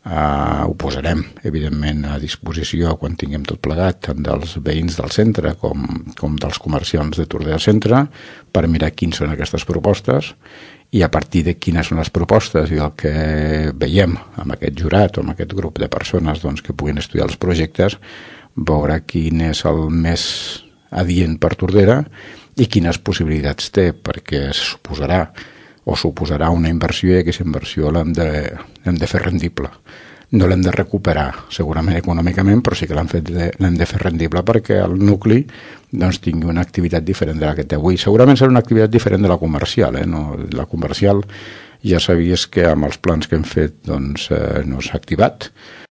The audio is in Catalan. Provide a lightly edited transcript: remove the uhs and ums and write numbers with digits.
Ho posarem, evidentment, a disposició quan tinguem tot plegat, tant dels veïns del centre com dels comerciants de Tordera Centre, per mirar quines són aquestes propostes, i a partir de quines són les propostes i el que veiem amb aquest jurat o amb aquest grup de persones que puguin estudiar els projectes, veure quin és el més adient per Tordera i quines possibilitats té, perquè suposarà una inversió i aquesta inversió l'hem de fer rendible. No l'hem de recuperar segurament econòmicament, però sí que l'hem de fer rendible perquè el nucli tingui una activitat diferent de la que té avui. Segurament serà una activitat diferent de la comercial. La comercial ja sabies que amb els plans que hem fet no s'ha activat,